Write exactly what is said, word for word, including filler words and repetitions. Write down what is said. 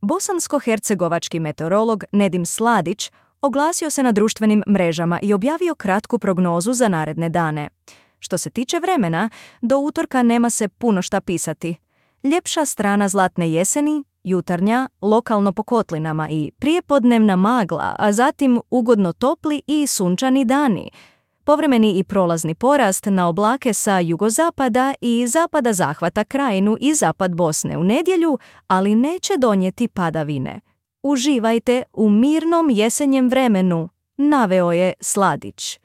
Bosansko-hercegovački meteorolog Nedim Sladić oglasio se na društvenim mrežama i objavio kratku prognozu za naredne dane. Što se tiče vremena, do utorka nema se puno šta pisati. Ljepša strana zlatne jeseni, jutarnja, lokalno po kotlinama i prijepodnevna magla, a zatim ugodno topli i sunčani dani. Povremeni i prolazni porast na oblake sa jugozapada i zapada zahvata krajinu i zapad Bosne u nedjelju, ali neće donijeti padavine. Uživajte u mirnom jesenjem vremenu, naveo je Sladić.